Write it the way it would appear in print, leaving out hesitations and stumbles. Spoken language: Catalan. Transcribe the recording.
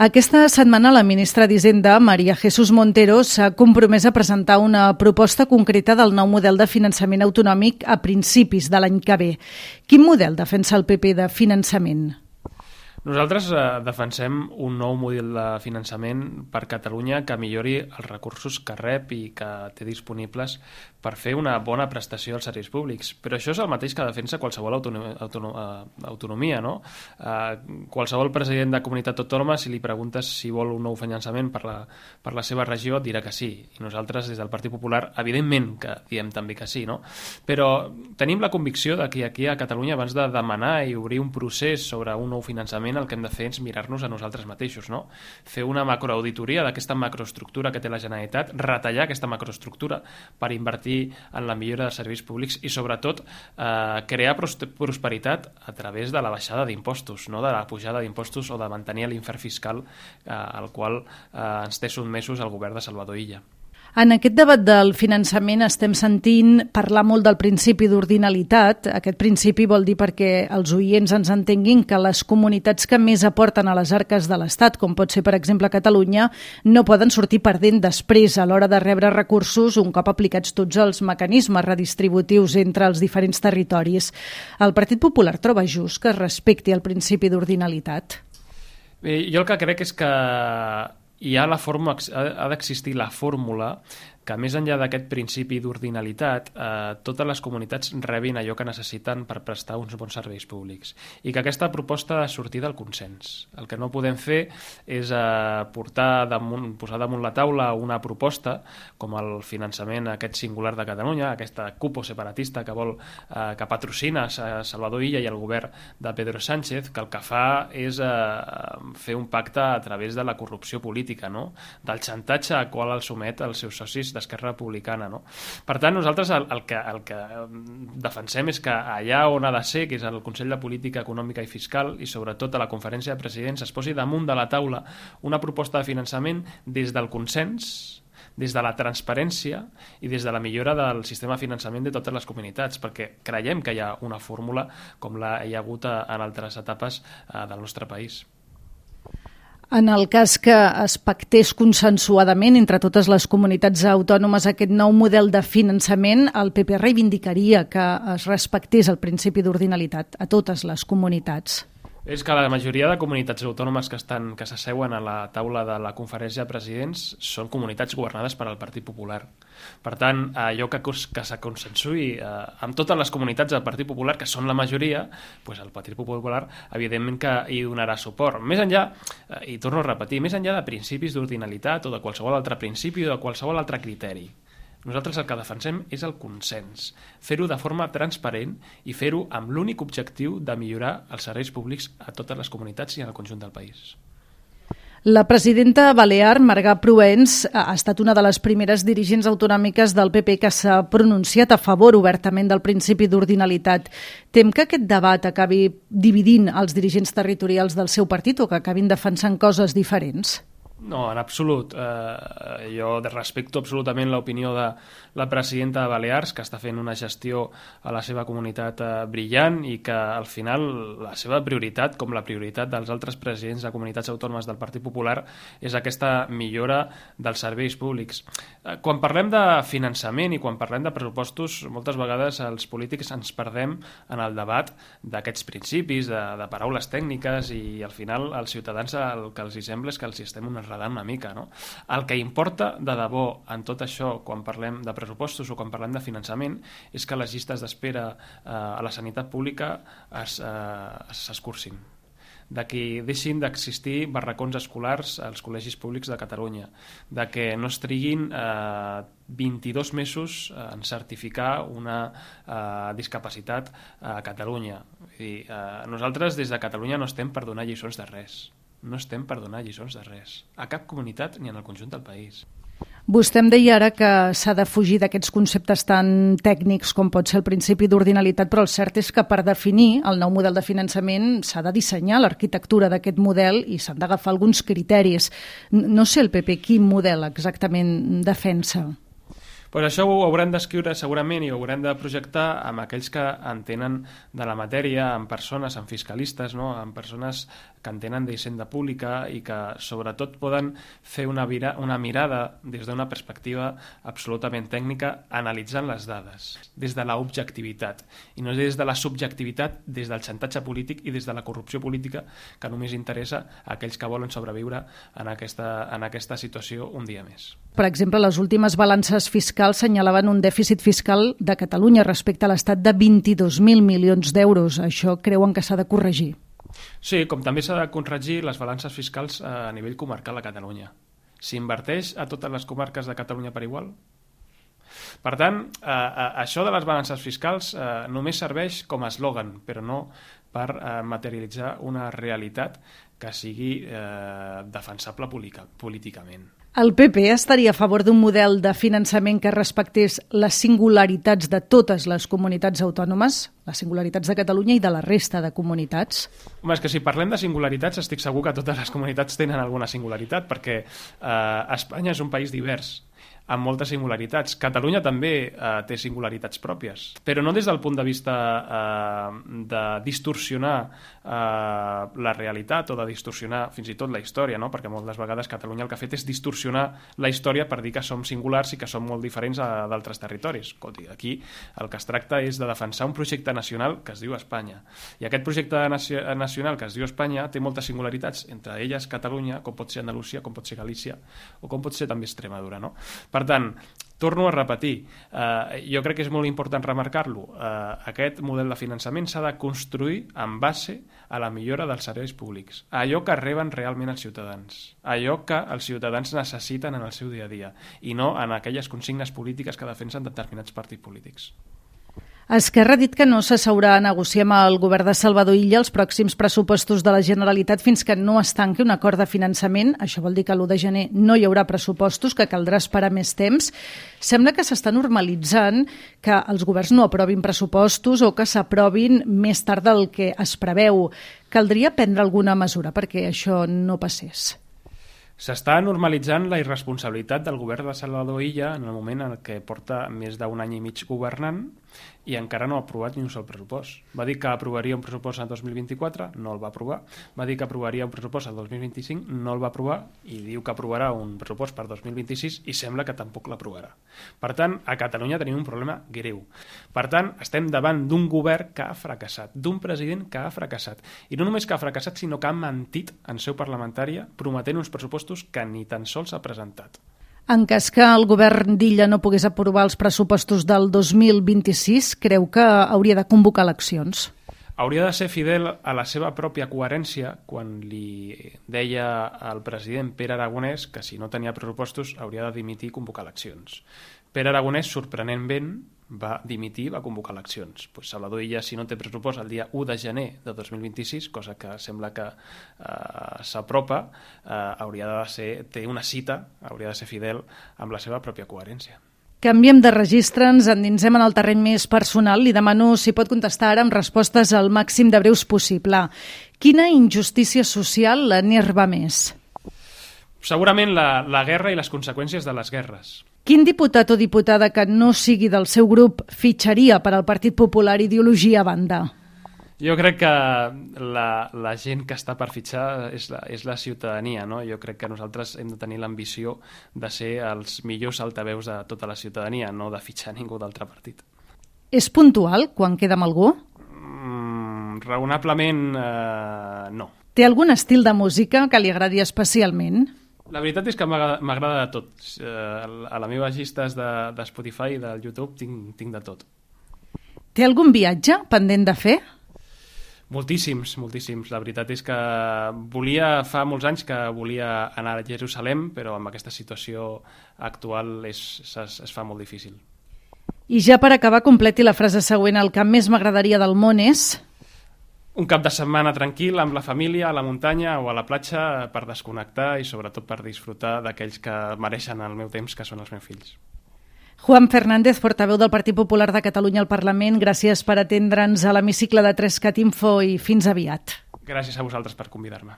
Aquesta setmana la ministra d'Hisenda, María Jesús Montero, s'ha compromès a presentar una proposta concreta del nou model de finançament autonòmic a principis de l'any que ve. Quin model defensa el PP de finançament? Nosaltres defensem un nou model de finançament per Catalunya que millori els recursos que rep i que té disponibles per fer una bona prestació als serveis públics. Però això és el mateix que defensa qualsevol autonomia, no? Qualsevol president de comunitat autònoma, si li preguntes si vol un nou finançament per la seva regió, et dirà que sí. I nosaltres, des del Partit Popular, evidentment que diem també que sí, no? Però tenim la convicció de que aquí a Catalunya, abans de demanar i obrir un procés sobre un nou finançament, el que hem de fer és mirar-nos a nosaltres mateixos, no? Fer una macroauditoria d'aquesta macroestructura que té la Generalitat, retallar aquesta macroestructura per invertir en la millora dels serveis públics i, sobretot, crear prosperitat a través de la baixada d'impostos, no de la pujada d'impostos o de mantenir l'infern fiscal al qual ens té sotmesos el govern de Salvador Illa. En aquest debat del finançament estem sentint parlar molt del principi d'ordinalitat. Aquest principi vol dir, perquè els oients ens entenguin, que les comunitats que més aporten a les arques de l'Estat, com pot ser per exemple Catalunya, no poden sortir perdent després a l'hora de rebre recursos un cop aplicats tots els mecanismes redistributius entre els diferents territoris. El Partit Popular troba just que es respecti el principi d'ordinalitat? Bé, jo el que crec és que ha d'existir la fórmula que, més enllà d'aquest principi d'ordinalitat, totes les comunitats rebin allò que necessiten per prestar uns bons serveis públics. I que aquesta proposta ha de sortir del consens. El que no podem fer és posar damunt la taula una proposta, com el finançament aquest singular de Catalunya, aquesta cupo separatista que patrocina Salvador Illa i el govern de Pedro Sánchez, que el que fa és fer un pacte a través de la corrupció política, no? Del xantatge al qual el somet els seus socis d'Esquerra Republicana, no? Per tant, nosaltres el que defensem és que allà on ha de ser, que és el Consell de Política Econòmica i Fiscal, i sobretot a la Conferència de Presidents, es posi damunt de la taula una proposta de finançament des del consens, des de la transparència i des de la millora del sistema de finançament de totes les comunitats, perquè creiem que hi ha una fórmula com hi ha hagut en altres etapes del nostre país. En el cas que es pactés consensuadament entre totes les comunitats autònomes aquest nou model de finançament, el PP reivindicaria que es respectés el principi d'ordinalitat a totes les comunitats. És que la majoria de comunitats autònomes que s'asseuen a la taula de la Conferència de Presidents són comunitats governades per al Partit Popular. Per tant, allò que se consensui amb totes les comunitats del Partit Popular, que són la majoria, doncs el Partit Popular evidentment que hi donarà suport. Més enllà, i torno a repetir, més enllà de principis d'ordinalitat o de qualsevol altre principi o de qualsevol altre criteri, nosaltres el que defensem és el consens, fer-ho de forma transparent i fer-ho amb l'únic objectiu de millorar els serveis públics a totes les comunitats i en el conjunt del país. La presidenta balear, Marga Proens, ha estat una de les primeres dirigents autonòmiques del PP que s'ha pronunciat a favor obertament del principi d'ordinalitat. Tem que aquest debat acabi dividint els dirigents territorials del seu partit o que acabin defensant coses diferents? No, en absolut. Jo respecto absolutament l'opinió de la presidenta de Balears, que està fent una gestió a la seva comunitat brillant i que al final la seva prioritat, com la prioritat dels altres presidents de comunitats autònomes del Partit Popular, és aquesta millora dels serveis públics. Quan parlem de finançament i quan parlem de pressupostos, moltes vegades els polítics ens perdem en el debat d'aquests principis, de paraules tècniques, i al final als ciutadans el que els sembla és que els estem enredant una mica, no? El que importa de debò en tot això, quan parlem de pressupostos o quan parlem de finançament, és que les llistes d'espera a la sanitat pública s'escurcin, de que deixin d'existir barracons escolars als col·legis públics de Catalunya, de que no es triguin 22 mesos en certificar una discapacitat a Catalunya. Nosaltres des de Catalunya no estem per donar lliçons de res. No estem per donar lliçons de res, a cap comunitat ni en el conjunt del país. Vostè em deia ara que s'ha de fugir d'aquests conceptes tan tècnics com pot ser el principi d'ordinalitat, però el cert és que per definir el nou model de finançament s'ha de dissenyar l'arquitectura d'aquest model i s'han d'agafar alguns criteris. No sé el PP quin model exactament defensa. Pues això ho haurem d'escriure segurament i ho haurem de projectar amb aquells que entenen de la matèria, amb persones, amb fiscalistes, no? Amb persones que entenen d'hisenda pública i que sobretot poden fer una mirada des d'una perspectiva absolutament tècnica analitzant les dades, des de l'objectivitat i no des de la subjectivitat, des del xantatge polític i des de la corrupció política que només interessa a aquells que volen sobreviure en aquesta situació un dia més. Per exemple, les últimes balances fiscals senyalaven un dèficit fiscal de Catalunya respecte a l'Estat de 22.000 milions d'euros. Això creuen que s'ha de corregir? Sí, com també s'ha de corregir les balances fiscals a nivell comarcal a Catalunya. S'inverteix a totes les comarques de Catalunya per igual? Per tant, això de les balances fiscals només serveix com a eslògan, però no per materialitzar una realitat que sigui defensable políticament. El PP estaria a favor d'un model de finançament que respectés les singularitats de totes les comunitats autònomes, les singularitats de Catalunya i de la resta de comunitats? Home, és que si parlem de singularitats estic segur que totes les comunitats tenen alguna singularitat, perquè Espanya és un país divers, amb moltes singularitats. Catalunya també té singularitats pròpies, però no des del punt de vista de distorsionar la realitat o de distorsionar fins i tot la història, no? Perquè moltes vegades Catalunya el que ha fet és distorsionar la història per dir que som singulars i que som molt diferents d'altres territoris. Aquí el que es tracta és de defensar un projecte nacional que es diu Espanya. I aquest projecte nacional que es diu Espanya té moltes singularitats, entre elles Catalunya, com pot ser Andalusia, com pot ser Galícia o com pot ser també Extremadura, no? Per tant, torno a repetir, jo crec que és molt important remarcar-lo, aquest model de finançament s'ha de construir en base a la millora dels serveis públics, allò que reben realment els ciutadans, allò que els ciutadans necessiten en el seu dia a dia, i no en aquelles consignes polítiques que defensen determinats partits polítics. Esquerra ha dit que no s'asseurà a negociar amb el govern de Salvador Illa els pròxims pressupostos de la Generalitat fins que no es tanqui un acord de finançament. Això vol dir que l'1 de gener no hi haurà pressupostos, que caldrà esperar més temps. Sembla que s'està normalitzant que els governs no aprovin pressupostos o que s'aprovin més tard del que es preveu. Caldria prendre alguna mesura perquè això no passés. S'està normalitzant la irresponsabilitat del govern de Salvador Illa en el moment en què porta més d'un any i mig governant i encara no ha aprovat ni un sol pressupost. Va dir que aprovaria un pressupost en 2024, no el va aprovar. Va dir que aprovaria un pressupost en 2025, no el va aprovar, i diu que aprovarà un pressupost per 2026 i sembla que tampoc l'aprovarà. Per tant, a Catalunya tenim un problema greu. Per tant, estem davant d'un govern que ha fracassat, d'un president que ha fracassat. I no només que ha fracassat, sinó que ha mentit en seu parlamentària prometent uns pressupostos que ni tan sols ha presentat. En cas que el govern d'Illa no pogués aprovar els pressupostos del 2026, creu que hauria de convocar eleccions? Hauria de ser fidel a la seva pròpia coherència quan li deia al president Pere Aragonès que si no tenia pressupostos hauria de dimitir i convocar eleccions. Pere Aragonès, sorprenentment, va dimitir i va convocar eleccions. Salvador Illa, si no té pressupost el dia 1 de gener de 2026, cosa que sembla que s'apropa, té una cita, hauria de ser fidel amb la seva pròpia coherència. Canviem de registre, ens endinsem en el terreny més personal. Li demano si pot contestar ara amb respostes al màxim de breus possible. Quina injustícia social l'enerva més? Segurament la guerra i les conseqüències de les guerres. Quin diputat o diputada que no sigui del seu grup fitxaria per al Partit Popular, ideologia a banda? Jo crec que la gent que està per fitxar és la ciutadania, no? Jo crec que nosaltres hem de tenir l'ambició de ser els millors altaveus de tota la ciutadania, no de fitxar ningú d'altre partit. És puntual quan queda amb algú? Raonablement no. Té algun estil de música que li agradi especialment? La veritat és que m'agrada de tot. A les meves llistes de Spotify i del YouTube tinc de tot. Té algun viatge pendent de fer? Moltíssims. La veritat és que fa molts anys que volia anar a Jerusalem, però amb aquesta situació actual es fa molt difícil. I ja per acabar, completi la frase següent. El que més m'agradaria del món és... Un cap de setmana tranquil amb la família, a la muntanya o a la platja per desconnectar i sobretot per disfrutar d'aquells que mereixen el meu temps, que són els meus fills. Juan Fernández, portaveu del Partit Popular de Catalunya al Parlament, gràcies per atendre'ns a l'hemicicle de 3CAT Info i fins aviat. Gràcies a vosaltres per convidar-me.